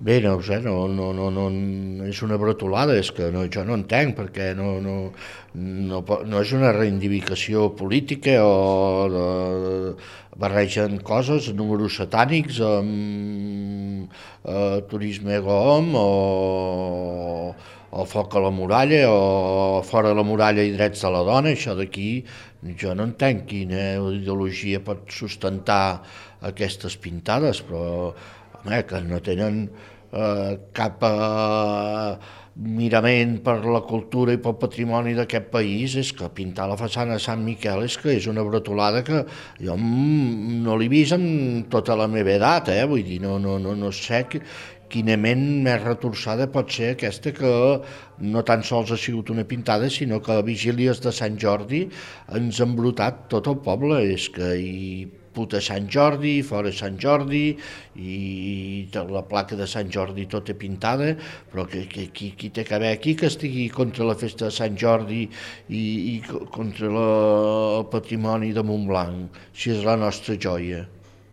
Bé, no ho sé, és una bretolada, és que jo no entenc, perquè no és una reivindicació política o barregen coses, números satànics amb turisme GOM o foc a la muralla o fora de la muralla i drets de la dona, això d'aquí jo no entenc quina ideologia pot sustentar aquestes pintades, però home, que no tenen cap mirament per la cultura i pel patrimoni d'aquest país, és que pintar la façana de Sant Miquel és una bretolada que jo no l'he vist en tota la meva edat, vull dir, no sé quina ment més retorçada pot ser aquesta que no tan sols ha sigut una pintada, sinó que a vigílies de Sant Jordi ens ha embrutat tot el poble, és que hi puta Sant Jordi, fora Sant Jordi, i la placa de Sant Jordi tota pintada, però qui té que haver aquí que estigui contra la festa de Sant Jordi i contra el patrimoni de Montblanc, si és la nostra joia.